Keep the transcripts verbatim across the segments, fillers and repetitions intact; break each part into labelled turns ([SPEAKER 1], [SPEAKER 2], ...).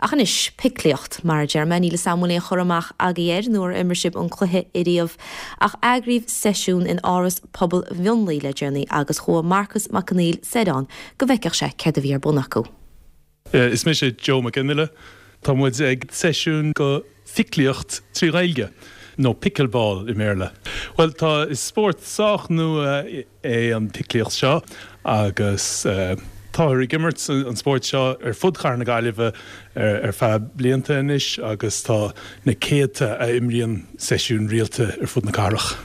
[SPEAKER 1] Ach anois piclíocht mar deir mé níl samú chur amach agaibh air nó ar imir sibh an cluiche riamh ach eagraíodh seisiún in Áras Pobail Mhionlaigh le déanaí agus chuaigh Marcus Mac Conghail soir ann go bhfeicfeadh sé céard a bhí ar bun acu.
[SPEAKER 2] Is mise Joe McGinley Tá muid ag seisiún go phiclíocht trí Ghaeilge nó pickleball i mBéarla. Well tá is spórt sách nua é an piclíocht seo agus uh, Táthar ag imirt an spórt seo ar fud chathair na Gaillimhe ar, ar feadh blianta anois agus tá na céadta a imríonn seisiún rialta ar fud na cathrach.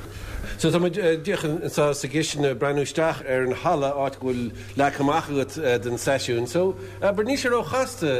[SPEAKER 3] So tá díreach sa sa gcistin breathnú isteach ar an halla áit go bhfuil leagtha amach agat den seisiún, so ber níl sé róchasta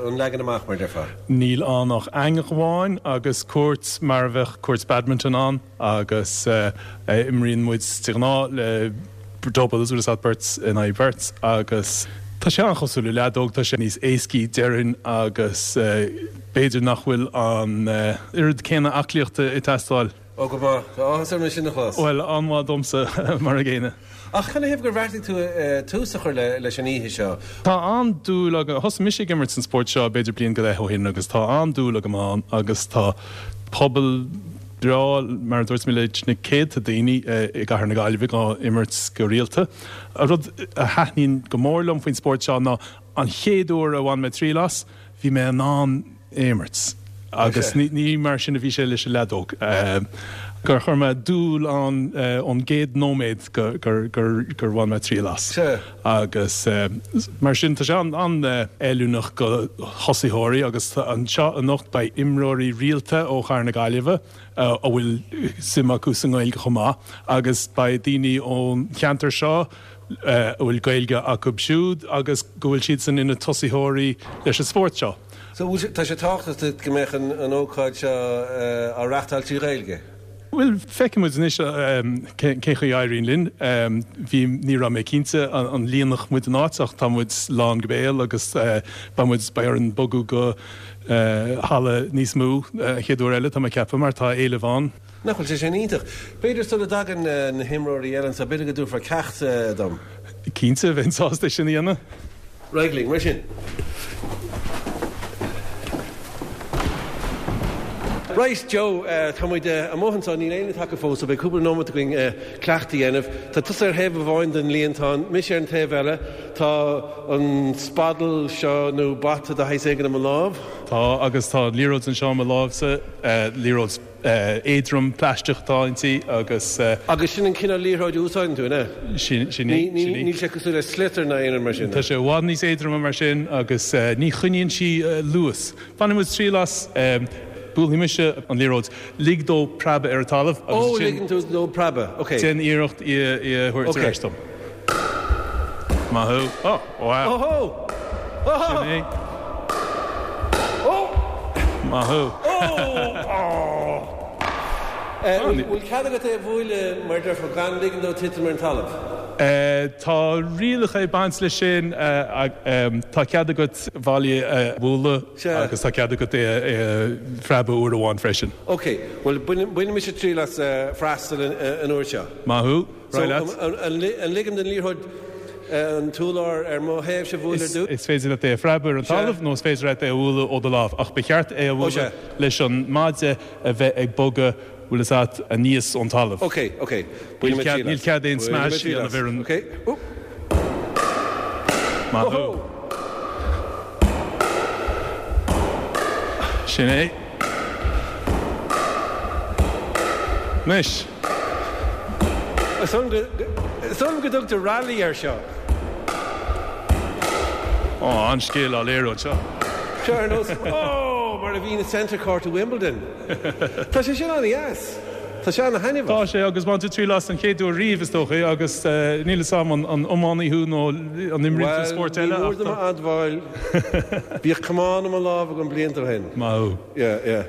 [SPEAKER 3] an leagan amach mar déarfá.
[SPEAKER 2] Níl ann ach eangach amháin agus cúirt mar a bheadh cúirt badminton ann agus uh, imríonn muid de ghnáth le doubles agus beirt in aghaidh beirt agus Tá sé an-chosúil le leadóg tá sé níos éascaí déarfainn agus uh, b'fhéidir nach bhfuil an uh, oiread céanna aclaíochta ag teastáil.
[SPEAKER 3] Ó go maith tá mar sin chlas.
[SPEAKER 2] Well an-mhaith domsa mar a gcéanna.
[SPEAKER 3] Ach canathaobh gur bheartaigh tú tús a chur le leis an oíche seo.
[SPEAKER 2] Tá an-dúil agam thosaigh mise ag imirt an spórt seo b'fhéidir bliain go leith ó shin agus tá an-dúil agam ann agus tá pobal breá mar dúirt mé leis na céadta daoine i gcathair na Gaillimhe á imirt go rialta. A rud a thaitníonn go mór liom faoin spórt seo ná an chéad uair a bhain mé triail as, bhí mé in ann imirt. agus ní, ní mar sin a bhí sé leis an leadóg. gur chuir mé dúil an ón gcéad nóiméad gur gur gur gur bhain mé triail as. Agus mar sin tá sé an an-fheiliúnach go thosaitheoirí agus anseo anocht beidh imreoirí rialta ó chathair na Gaillimhe a bhfuil suim acu sa nGaeilge chomh maith agus beidh daoine ón cheantar seo a bhfuil Gaeilge acu siúd agus go bhfuil siad san ina tosaitheoirí leis an spórt seo.
[SPEAKER 3] So tá sé tábhachtach go mbeadh an ócáid seo á reáchtáil trí Ghaeilge.
[SPEAKER 2] Well feicfimid anois cén chaoi a éiríonn linn bhí ní raibh mé cinnte an líonfadh muid an áit ach tá muid lán go béal agus beidh muid beidh orainn bogadh go halla níos mó chéad uair eile tá mé ag ceapadh mar tá éileamh ann.
[SPEAKER 3] Nach bhfuil sé sin iontach. B'fhéidir sula dtagann na himreoirí eile so b'fhéidir go dtabharfá ceacht dom.
[SPEAKER 2] Cinnte bheinn sásta sin a dhéanamh.
[SPEAKER 3] Réidh mar sin. Right Joe uh, tá muid uh, amuigh anseo níl éinne tagtha fós, so beidh cúpla nóiméad againn uh, cleachtadh a dhéanamh. Tá tusa ar thaobh amháin den líontán, mise ar an taobh eile, Tá an spadal seo nó bata de shaghas éigin i mo lámh.
[SPEAKER 2] Tá agus tá liathróid anseo i mo lámhsa liathróid éadrom plaisteach atá inti agus.
[SPEAKER 3] Agus sin an cineál liathróid a úsáideann tú ne?
[SPEAKER 2] Sin sin
[SPEAKER 3] Níl sé cosúil le sliotar ná aon mar sin.
[SPEAKER 2] Tá sé i bhfad níos éadroime mar sin agus ní choinníonn sí luas. Bainfidh muid triail as buailfidh mise an liathróid lig dó preabadh ar an talamh
[SPEAKER 3] agus sin. Ó ligeann tú dó preabadh, ok.
[SPEAKER 2] Déan iarracht í a thabhairt ar ais dom. Maith thú. Ó, wow.
[SPEAKER 3] Óhó! Óhó!
[SPEAKER 2] Sin é. Ó! Maith thú.
[SPEAKER 3] Ó! Bhfuil cead agat é a bhualadh mar déarfá gan ligean dó titim ar an talamh?
[SPEAKER 2] Tá rialacha ag baint leis sin. Tá cead agat bhallaí a bhualadh agus tá cead agat é a phreabadh uair amháin freisin.
[SPEAKER 3] Ok, bhuel bainfidh mise triail as freastal an uair seo.
[SPEAKER 2] Maith thú.
[SPEAKER 3] So an ligim don liathróid an t-urlár ar mo thaobhsa a bhualadh ar dtús?
[SPEAKER 2] Is féidir leat é a phreabadh ar an talamh nó is féidir leat é a bhualadh ó do lámh ach ba cheart é a bhualadh leis an maide a bheith ag bogadh bhfuil fhios agat aníos ón talamh.
[SPEAKER 3] Ok, ok.
[SPEAKER 2] Níl cead, níl cead aon smash a dhéanamh ar an.
[SPEAKER 3] Ok.
[SPEAKER 2] Maith thú. Sin é. Anois.
[SPEAKER 3] Is dóigh liom go dtugtar rally air seo.
[SPEAKER 2] Ó, an-scil á léiriú anseo.
[SPEAKER 3] Seo ar nós, ó, mar a bhíonn i Centre Court i Wimbledon. Tá sé sin an-dheas. Tá sé an-thaitneamhach.
[SPEAKER 2] Tá sé, agus bhain tú triail as an chéad uair riamh, is dócha, agus níl fhios agam an iománaí thú nó an imríonn tú spórt eile
[SPEAKER 3] ach. Bhuel, ní mór dom a admháil, bhíodh camán i mo lámh agam blianta ó shin.
[SPEAKER 2] Maith thú.
[SPEAKER 3] Yeah, yeah.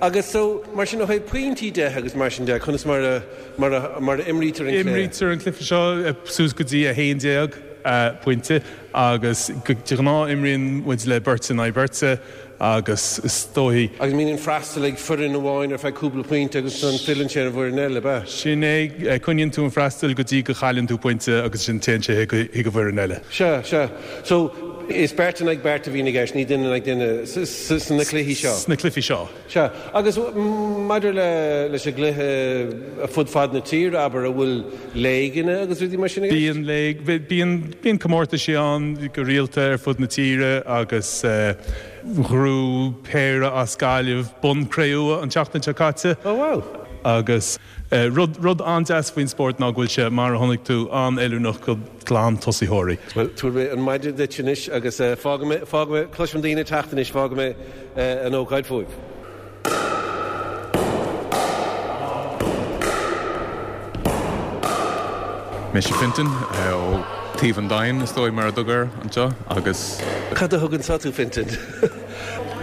[SPEAKER 3] Agus so, mar sin, ó thaobh pointí de agus mar sin de, conas mar a, mar a, mar a imrítear an cluiche?
[SPEAKER 2] Imrítear an cluiche seo suas go dtí a haon déag pointe agus de ghnáth imríonn muid le beirt in aghaidh beirte agus is dóigh.
[SPEAKER 3] Agus mbíonn an freastal ag foireann amháin ar feadh cúpla pointe agus ansan filleann sé ar an bhfoireann eile, ab ea?
[SPEAKER 2] Sin é, coinníonn tú an freastal go dtí go chailleann tú pointe agus ansin téann sé chuig an bhfoireann eile.
[SPEAKER 3] Sea, sea. So, is beirt in aghaidh beirt a bhíonn i gceist, ní duine in aghaidh duine sna cluichí seo.
[SPEAKER 2] Sna cluichí seo.
[SPEAKER 3] Sea. Agus maidir le leis an gcluiche fud fad na tíre, abair, an bhfuil léigeanna agus rudaí mar sin i gceist?
[SPEAKER 2] Bíonn léig, bíonn, bíonn comórtaisí ann go rialta ar fud na tíre agus ghnóthaigh péire as Gaillimh bonn cré-umha an tseachtain seo caite.
[SPEAKER 3] Oh wow.
[SPEAKER 2] Agus rud, rud an-deas faoin spórt ná go bhfuil sé, mar a chonaic tú, an-fheiliúnach do ghlan-tosaitheoirí.
[SPEAKER 3] Bhuel, tabharfaidh mé an maide duit anois agus fágfaidh mé, fágfaidh mé, cloisim daoine ag teacht anois, fágfaidh mé an ócáid fúibh.
[SPEAKER 4] Mise Fintan ó Taobh an Domhain, is dóigh, mar a dtugtar air anseo, agus.
[SPEAKER 3] Cad a thug anseo tú, Fintan?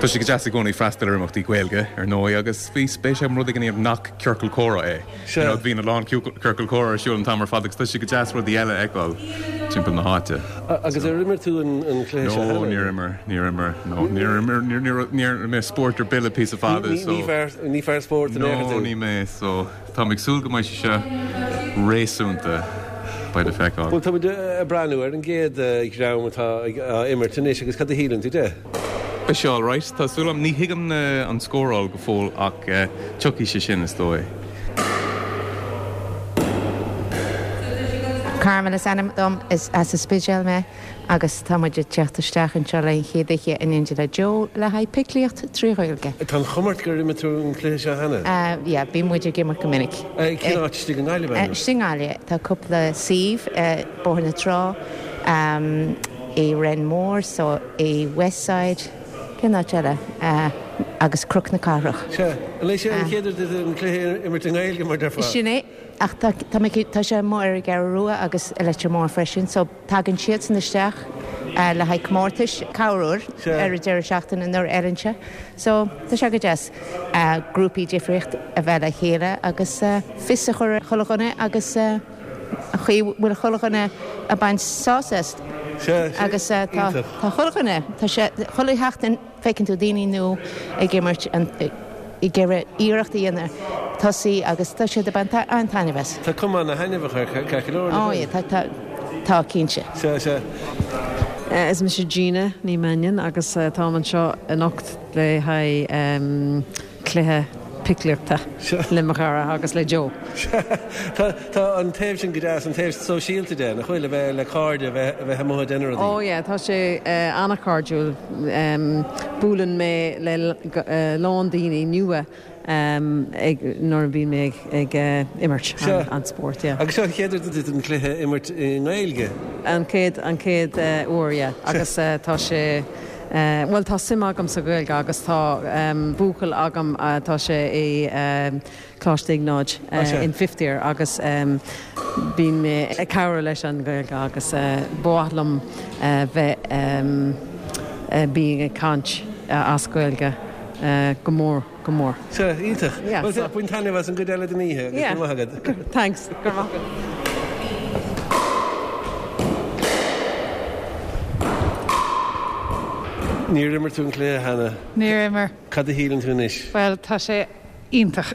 [SPEAKER 4] Tá sé go deas i gcónaí freastal ar imeachtaí Gaeilge, ar ndóigh, agus bhí spéis agam rud éigin a dhéanamh nach ciorcal comhrá é. You know, bíonn a lán ciorcal comhrá ar siúl an t-am ar fad agus tá sé go deas rudaí eile a fheiceáil timpeall na háite.
[SPEAKER 3] Agus ar imir tú an cluiche seo cheana?
[SPEAKER 4] No, níor imir, níor imir, no, níor imir, níor, níor, níor imir mé spórt ar bith le píosa fada, so.
[SPEAKER 3] Ní fear, ní fear spóirt in aon chor tú?
[SPEAKER 4] No, ní mé, so táim ag súil go mbeidh sé seo réasúnta. Beidh le feiceáil.
[SPEAKER 3] Bhuel, táimid ag breathnú ar an gcéad dhream atá á imirt anois agus cad a shíleann tú de?
[SPEAKER 4] Beidh sé alright, tá súil agam. Ní thuigim an scóráil go fóill ach tiocfaidh sé sin, is dóigh.
[SPEAKER 5] Carmel is ainm dom, is as an Spidéal mé agus tá muid ag teacht isteach anseo le an chéad oíche in éindí le Joe le haghaidh piclíocht trí Ghaeilge.
[SPEAKER 3] Tá an chuma ort gur imir tú an cluiche seo cheana?
[SPEAKER 5] Yeah, bíonn muid ag imirt go minic.
[SPEAKER 3] Cén áit istigh i nGaillimh, an?
[SPEAKER 5] Istigh i nGaillimh. Tá cúpla suíomh, Bóthar na Trá, i Renmore, so i Westside, cén áit eile? Agus Cnoc na Cathrach.
[SPEAKER 3] Sea. An é seo an chéad uair duit an cluiche a imirt i nGaeilge, mar déarfá?
[SPEAKER 5] Sin é. Ach tá, tá mé, tá sé amuigh ar an gCeathrú Rua agus i Leitir Móir freisin, so tagann siadsan isteach le haghaidh comórtais corruair ar an deireadh seachtaine nuair a fheileann sé. So tá sé go deas grúpaí difríocht a bheith le chéile agus fios a chur ar chuile dhuine agus an chaoi a bhfuil chuile dhuine ag baint sásamh as. Agus tá, tá chuile dhuine, tá sé, chuile sheachtain feiceann tú daoine nua ag imirt an, ag iarraidh iarracht a dhéanamh tosaí agus tá siad ag baint an-taitneamh as.
[SPEAKER 3] Tá cuma ana-thaitneamhach air, ceart go leor, nach
[SPEAKER 5] Ó
[SPEAKER 3] bhfuil?
[SPEAKER 5] yeah, tá, tá, tá, cinnte.
[SPEAKER 3] Sea, sea.
[SPEAKER 6] Is mise Gina Ní Mhainnín agus táim anseo anocht le haghaidh cluiche piclíochta le mo chara agus le Joe.
[SPEAKER 3] Sea, tá, tá an taobh sin go deas, an taobh sóisialta de, nach bhfuil, a bheith le cairde, a bheith, a bheith amuigh ag déanamh rudaí.
[SPEAKER 6] Ó yeah, tá sé an-chairdiúil. Buaileann mé le lán daoine nua ag, nuair a bhíonn mé ag imirt an spórt, yeah.
[SPEAKER 3] Agus seo an chéad uair duit an cluiche a imirt i nGaeilge?
[SPEAKER 6] An chéad, an chéad uair, yeah. Agus tá sé, bhuel tá suim agam sa Ghaeilge agus tá buachaill agam, tá sé i Coláiste Iognáid in fifth year agus bíonn mé ag cabhrú leis an Ghaeilge agus ba mhaith liom bheith bíonn ag caint as Gaeilge go mór go mór.
[SPEAKER 3] Sea, iontach.
[SPEAKER 6] Yeah,
[SPEAKER 3] Bhuel,
[SPEAKER 6] so.
[SPEAKER 3] bain taitneamh as an gcuid eile den oíche agus
[SPEAKER 6] Yeah.
[SPEAKER 3] go raibh maith agat.
[SPEAKER 6] Thanks. Go raibh maith agat.
[SPEAKER 3] Níor imir tú an cluiche cheana.
[SPEAKER 7] Níor imir.
[SPEAKER 3] Cad a shíleann tú anois?
[SPEAKER 7] Bhuel, tá sé iontach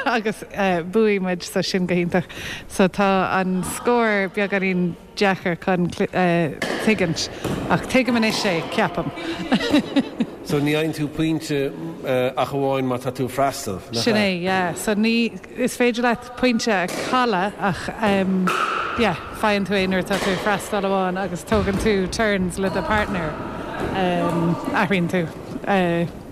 [SPEAKER 7] agus bhuaigh muid so sin go hiontach. So tá an scór beagáinín deacair chun tuigint ach tuigim anois é, ceapaim.
[SPEAKER 3] So ní fhaigheann tú pointe ach amháin má tá tú ag freastal, nach
[SPEAKER 7] Sin
[SPEAKER 3] ea?
[SPEAKER 7] é, yeah. So ní, is féidir leat pointe a chailleadh ach yeah, faigheann tú é nuair atá tú ag freastal amháin agus tógann tú turns le do partner, athraíonn tú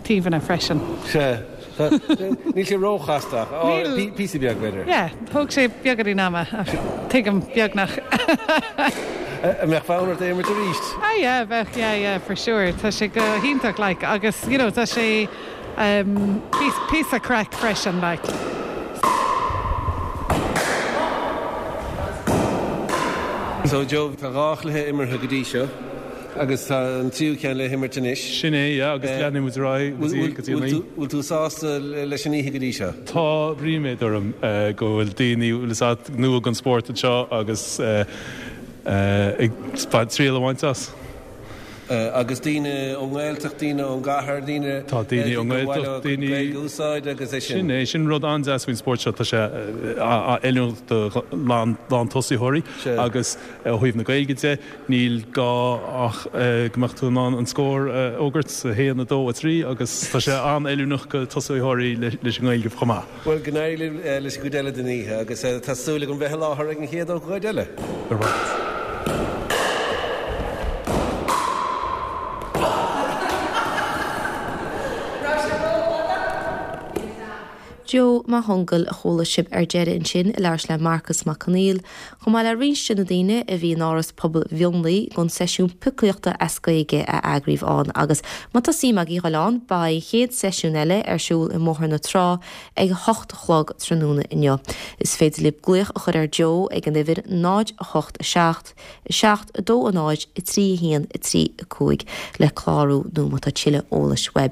[SPEAKER 7] taobhanna freisin.
[SPEAKER 3] Sea. Níl sé róchasta ach
[SPEAKER 7] Níl.
[SPEAKER 3] píosa beag, b'fhéidir.
[SPEAKER 7] Yeah, thóg sé beagáinín ama ach tuigim beagnach.
[SPEAKER 3] An mbeadh fonn ort é a imirt arís?
[SPEAKER 7] Ah yeah, bheadh, yeah, yeah, for sure. Tá sé go hiontach like agus you know tá sé um, píosa craic freisin like.
[SPEAKER 3] So Joe, tá dhá chluiche imeartha go dtí seo agus tá an tríú ceann le himirt anois.
[SPEAKER 2] Sin é, yeah, agus leanfaidh muid ar aghaidh go dtí go dtí an oíche.
[SPEAKER 3] Bhfuil tú sásta leis an oíche go dtí seo?
[SPEAKER 2] Tá ríméad orm go bhfuil daoine bhfuil fhios agat nua don spórt anseo agus ag triail a bhaint as.
[SPEAKER 3] Agus daoine ón nGaeltacht, daoine ón gcathair, daoine
[SPEAKER 2] Tá daoine ón nGaeltacht, daoine
[SPEAKER 3] Gaeilge a úsáid agus é sin.
[SPEAKER 2] Sin é, sin rud an-deas faoin spórt seo, tá sé oiriúnach do lántosaitheoirí agus ó thaobh na Gaeilge de, níl gá ach go mbeadh tú in ann an scór a fhógairt, a haon, a dó, a trí, agus tá sé an-oiriúnach do tosaitheoirí leis an nGaeilge chomh maith.
[SPEAKER 3] Bhuel, go n-éirí libh leis an gcuid eile den oíche agus tá súil agam bheith i láthair ag an chéad ócáid eile.
[SPEAKER 2] Go raibh maith agat.
[SPEAKER 1] Joe Mac Conghail a chuala sibh ar deireadh ansin ag labhairt le Marcas Mac Conghail, chomh maith le roinnt de na daoine a bhí in Áras Pobail Mhionlaigh don seisiún poclaíochta as Gaeilge a eagraíodh ann agus má tá suim agaibh dhul ann, beidh an chéad seisiún eile ar siúl i mBóthar na Trá ag a hocht a chlog tráthnóna inniu. Is féidir libh glaoch a chur ar Joe ag an uimhir náid a hocht a seacht, a seacht, a dó, a náid, a trí, a haon, a trí, a cúig le clárú nó má tá tuilleadh eolais uaibh.